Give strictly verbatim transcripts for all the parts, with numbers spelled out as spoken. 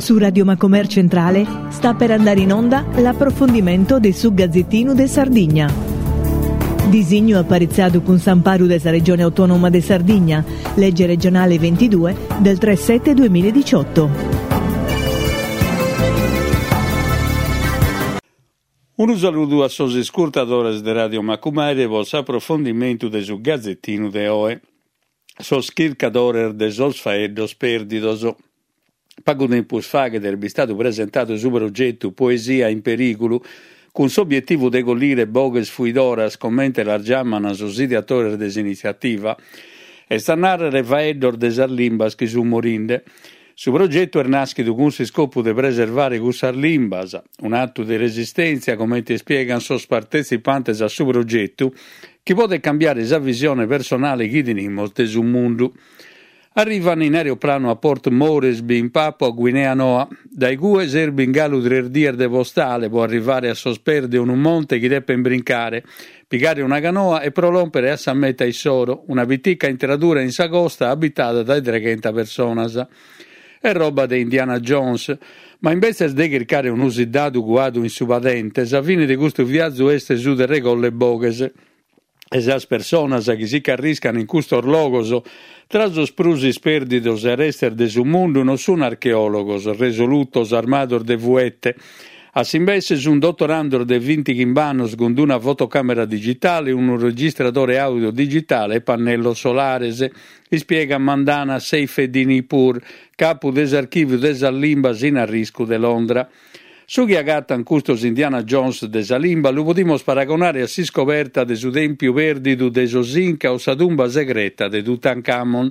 Su Radio Macomer Centrale sta per andare in onda l'approfondimento de su Gazzettinu de Sardigna. Disignu aparitzadu cun s'amparu de sa Regione Autonoma de Sardigna, legge regionale ventidue del tre sette duemiladiciotto. Unu saludu a sos iscurtadores de Radio Macumere pro s'aprofondimentu de su Gazzettinu de oe. Sos chircadores de sos faeddos pèrdidos. Pagu tempus faghet est bistadu presentadu su progetu Poesia in Perìgulu, cun s'obietivu de collire boghes fuidoras, comente las giaman sos ideatores de s'initziativa, est a nàrrere faeddos de sas limbas chi sunt morinde. Su progetu est nàschidu cun s'iscopu de preservare cussas limbas, un'atu de resistèntzia, comente ispiegan sos partetzipantes a su progetu, chi podet cambiare sa visione personale chi tenimus de su mundu. Arrivan in aeroplanu a Port Moresby, in Papua Guinea Noa. Dae cue serbin galu tres dies de postale pro arrivare a sos pes de unu monte chi depen brincare, pigare una canoa e pro lòmpere a sa meta issoro, una pitica intradura in sa costa abitada dae treghenta personas. Est roba de Indiana Jones, ma imbetzes de chircare unu siddadu cuadu in su padente, sa fine de custu viazu est su de regolle boghes. E sas personas chi si ch'arriscan in custos logos, tra sos prus ispèrdidos e arestes de su mundu, non sun archeòlogos resolutos armados de fuete. A s'imbesse sun dottorandos de bintighimbe annos cun una fotocàmera digitale, unu registradore audio digitale e pannellos solares, ispiega Mandana Seyfeddinipur, capu de s'archìviu de sas limbas in arriscu de Londra. Su chi agatan custos Indiana Jones de sa limba lu podimus paragonare a s'iscoberta de su tèmpiu pèrdidu de sos Inca o sa tumba segreta de Tutankhamon.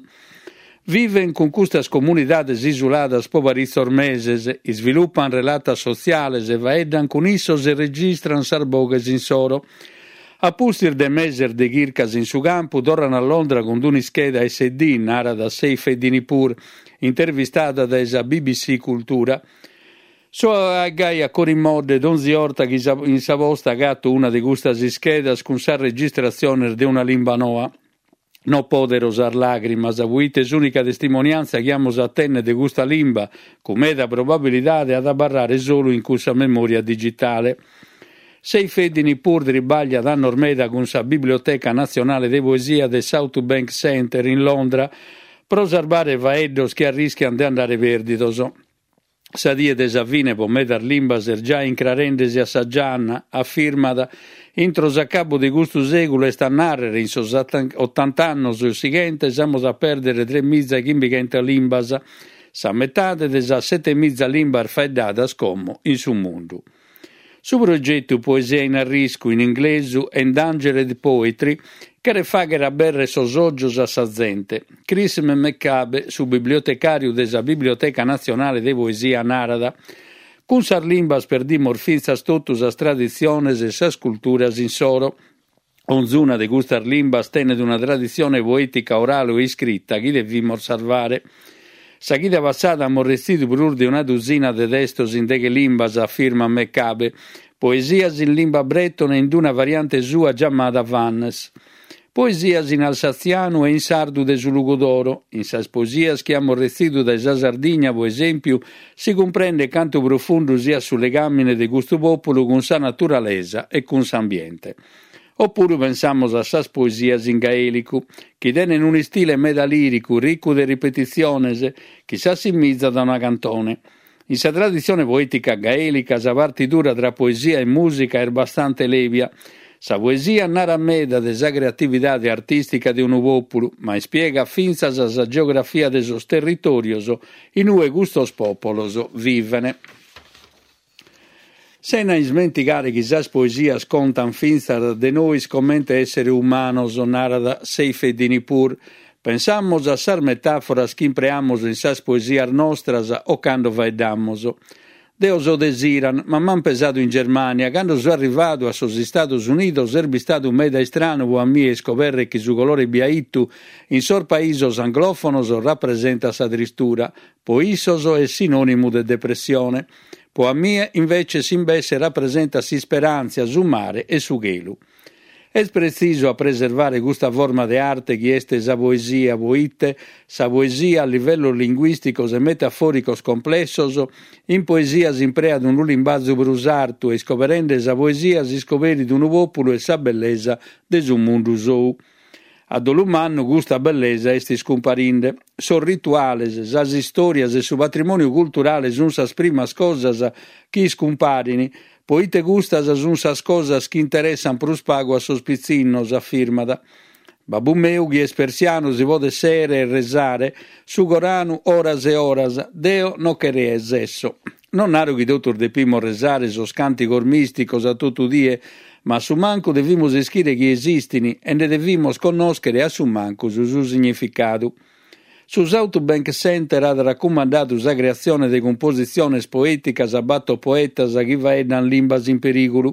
Viven cun custas comunidades isuladas pro paritzos meses, isvilupan relatas sotziales, faeddan cun issos e registran sas boghes insoro. A pustis de meses de chircas in su campu, torran a Londra cun un'ischeda S D, narat Seyfeddinipur, intervistada dae sa B B C Cultura. So a gai a corimodde donzi orta chi sa, in sa posta agatto una de custas ischedas cun sas registratziones de una limba noa. No podero sas lagrimas, poite s'unica testimonianza chi amus a tenne de custa limba, cun meda probabilidade ad abarrare solu in cussa memoria digitale. Seyfeddinipur tribaglia annos meda cun sa Biblioteca Nazionale de Poesia de South Bank Center in Londra pro sarbare faeddos chi arrischian de andare perdidos. Sa die de sa fine po medas limbas est già incrarendesi a sa gianna, afirmat, intro s'acabu de custu sèculu est a nàrrere in sos ottanta annos sighentes amus a pèrdere tre miza e chimbighenta limbas, sa metade de sas sete miza limbas faeddadas como in su mundu. Su progetu Poesia in Arriscu, in inglesu Endangered Poetry, cheret fàghere aberrer sos ògios a sa zente. Chris McCabe, su bibliotecàriu de sa Biblioteca Nazionale de Poesia, narat: cun sas limbas perdimos fintzas totu sas traditziones e sas culturas insoro. Onzuna de custas limbas tenet una traditzione poètica orale o iscrita chi devimos salvare. Sa chida passada amus retzidu prus de una duzina de testos in deghe limbas, afirma McCabe, poesias in limba bretone in una variante sua giamada Vannes, poesias in alsazianu e in sardu de su Logudoro. In sas poesias chi amus retzidu dae sa Sardigna, pro esèmpiu, si cumprendet cantu profundu siat su legàmine de custu pòpulu cun sa naturalesa e cun s'ambiente. Oppuru pensamus a sas poesias in gaelicu, chi tenen un istile meda liricu, riccu de ripetitziones, chi s'assimizat a una cantone. In sa traditzione poetica gaelica, sa partidura tra poesia e musica est bastante lèbia. Sa poesia narat meda de sa creatividade artistica de unu pòpulu, ma ispiega fintzas sa geografia de sos territorios in ue custos pòpulos viven. Sena ismentigare chi sas poesias contan fintzas de nois comente essere umanos, narat Seyfeddinipur. Pensamos a sas metàforas chi impreamos in sas poesias nostras o cando faeddamos. Deo so de s'Iran, ma m'han pesadu in Germania. Cando so arrivadu a sos Istados Unidos est bistadu meda istranu pro a mie iscoberre chi su colore biaitu in sos paisos anglofonos rappresentat sa tristura. Po issos est sinonimu de depressione. Po a mie, invece, s'imbesse rappresenta s'isperantzia, su mare e su chelu. Est pretzisu a preservare custa forma de arte chi est sa poesia, proite sa poesia at livellos linguìsticos e metafòricos complessos, in poesia s'impreat unu limbazu prus artu e iscoberende sa poesia s'iscoberit unu pòpulu e sa bellesa de su mundu sou. A dolu mannu custa bellesa est iscumparinde. Sos rituales, sas istòrias e su patrimòniu culturale sunt sas primas cosas chi iscumparin, proite custas sunt sas cosas chi interessant prus pagu a sos pitzinnos, afirmat. Babbu meu, chi est persianu, si podet sèere e resare su Coranu oras e oras. Deo non che resesso. Non naro chi totus depimus resare sos càntigos mìsticos a totu die, ma a su mancu devimus ischire chi esistin e nde devimus connòschere a su mancu su significadu. Su Southbank Centre at racumandadu sa creatzione de cumpositziones poèticas a bator poetas chi faeddan limbas in perìgulu.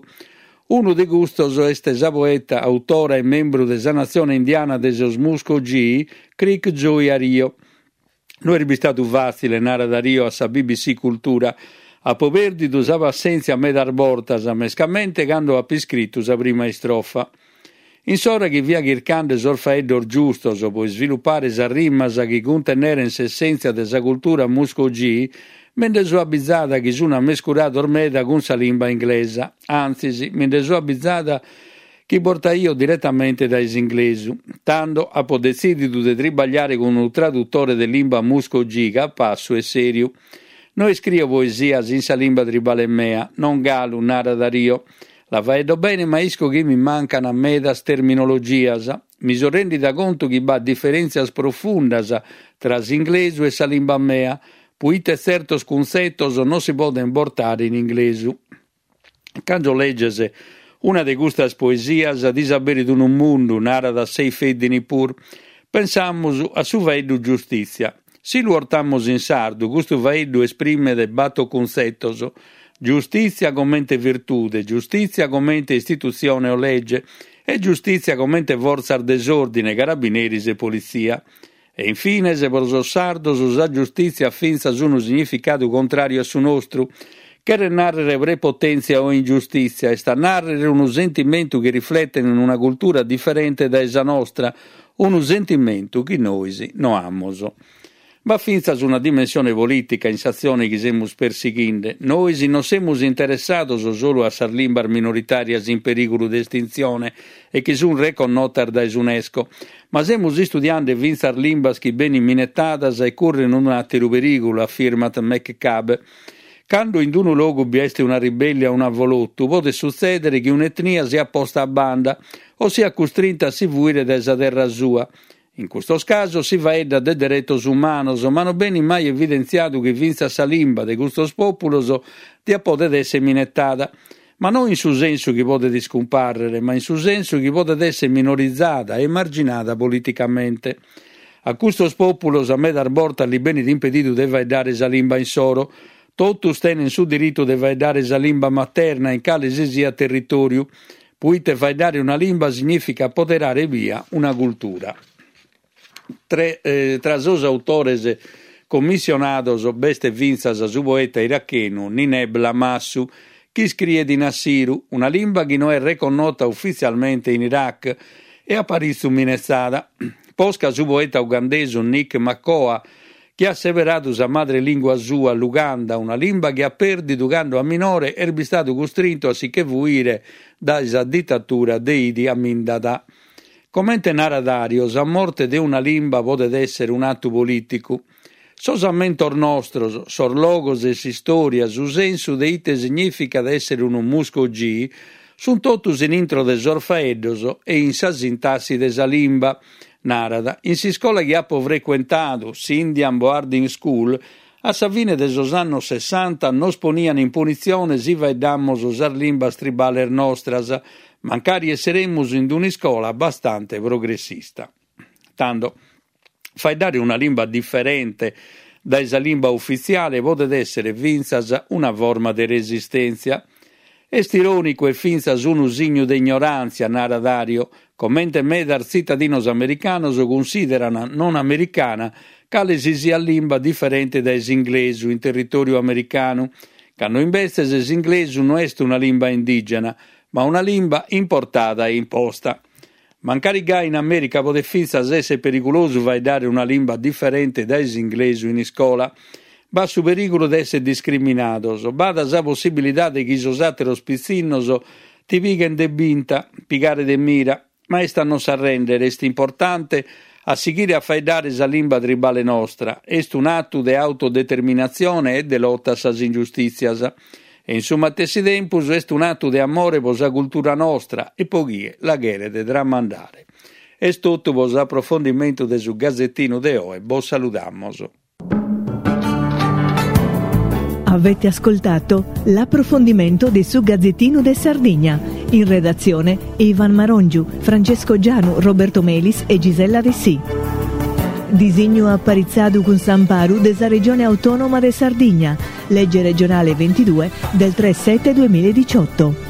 Unu de custos est sa poeta, autora e membru de sa natzione indiana de sos Muskogee, Creek Joy Ario. No est bistadu fàtzile, narat Ario a sa B B C Cultura. Apo pèrdidu sa passèntzia medas bortas, mescamente cando apo iscritu sa prima istrofa. In s'ora chi fia chircande sos faeddos giustos pro isvilupare sas rimas chi cunteneren s'essèntzia de sa cultura Muskogee, mi nde so abizada chi sun ammescurados meda cun sa limba inglesa. Antzis, mi nde so abizada chi portaio diretamente dae s'inglesu. Tando apo detzìdidu de tribagliare cun unu tradutore de limba Muskogee capassu e sèriu. No iscrio poesias in sa limba tribale mea, non galu, narat Ario. La faeddo bene, ma isco chi mi mancan medas terminologias. Mi so rendida contu chi b'at diferèntzias profundas tra s'inglesu e sa limba mea, proite tzertos cuntzetos non si poden bortare in inglesu. Cando legges una de custas poesias ti s'aberit unu mundu, narat Seyfeddinipur. Pensamus a su faeddu giustìtzia. Si lu ortamus in sardu, custu faeddu esprimet bator cuntzetos. Giustìtzia comente virtude, giustìtzia comente istitutzione o legge e giustìtzia comente fortzas de s'òrdine, carabineris e politzia. E infines, pro sos sardos, sa giustìtzia at fintzas unu significadu contràriu a su nostru. Cheret nàrrere prepotèntzia o ingiustìtzia, est a nàrrere unu sentimentu chi rifletet in una cultura diferente dae sa nostra, unu sentimentu chi nois no amus. B'at fintzas una dimensione polìtica in s'atzione chi semus persighinde. Nois non semus interessados solu a sas limbas minoritàrias in perìgulu de estintzione e chi sunt reconnotas dae s'UNESCO, ma semus istudiende fintzas limbas chi benin minetadas e curren un'àteru perìgulu, afirmat McCabe. Cando in unu logu bi est una ribellia o un avolotu, podet sutzèdere chi un'etnia siat posta a banda o siat custrinta a si fuire dae sa terra sua. In custos casos si faeddat de deretos umanos, ma non benit mai evidentziadu chi fintzas sa limba de custos pòpulos diat podet èssere minetada, ma non in su sensu chi podet iscumpàrrere, ma in su sensu chi podet èssere minorizada e emarginada politicamente. A custos pòpulos a medas bortas li benit impedidu de faeddare sa limba insoro. Totus tenen su diritu de faeddare sa limba materna in cale si siat territòriu, proite faeddare una limba significa apoderare bia una cultura. Tre, eh, tra sos autores commissionados b'est fintzas su poeta irachenu Nineb Lamassu, chi iscriet in assiru, una limba chi no est reconnota ufitzialmente in Iraq e a paritzu minetzada. Posca su poeta ugandesu Nick Makoha, chi at seberadu sa madre lingua sua, l'Uganda, una limba chi at pèrdidu cando a minore est bistadu custrintu a si che fuire dae sa dittatura de Idi Amin Dada. Comente narat Ario, sa morte de una limba podet èssere un atu polìticu. Sos ammentos nostros, sos logos e s'istòria, su sensu de ite significat èssere unu Muskogee, sunt totus in intro de sos faeddos e in sa sintassi de sa limba, narat. In s'iscola chi apo frecuentadu, s'Indian Boarding School, a sa fine de sos annos sessanta nos ponian in punitzione si faeddamos sas limbas tribales nostras, mancari esseremus in un'iscola bastante progressista. Tando, faeddare una limba diferente dae sa limba ufitziale podet èssere fintzas una forma de resistèntzia. Est irònicu e fintzas unu signu de ignoràntzia, narat Ario, comente medas tzitadinos americanos cunsideran non americana cale si siat limba diferente dae s'inglesu in territòriu americanu, cando imbetzes s'inglesu no est una limba indigena, ma una limba importada e imposta. Mancari gai in America podet fintzas èssere perigulosu faeddare una limba diferente dae s'inglesu in iscola. B'at su perìgulu de èssere discriminados, b'at sa possibilidade chi sos àteros pitzinnos ti pighent de binta, pigare de mira, ma est a non s'arrèndere, est importante a sighire a faeddare sa limba tribale nostra, est un'atu de autodeterminatzione e de lota a sas ingiustìtzias. E in su matessi tempus est un'atu de amore pro sa cultura nostra e pro chie la cheret tramandare. Est totu pro s'aprofondimentu de su Gazettinu de oe. Bos saludamos. Avete ascoltato l'approfondimento di su Gazzettino de Sardigna. In redazione Ivan Marongiu, Francesco Gianu, Roberto Melis e Gisella Dessì. Disignu aparitzadu cun s'amparu de sa Regione Autonoma de Sardigna. Legge regionale ventidue del tre sette duemiladiciotto.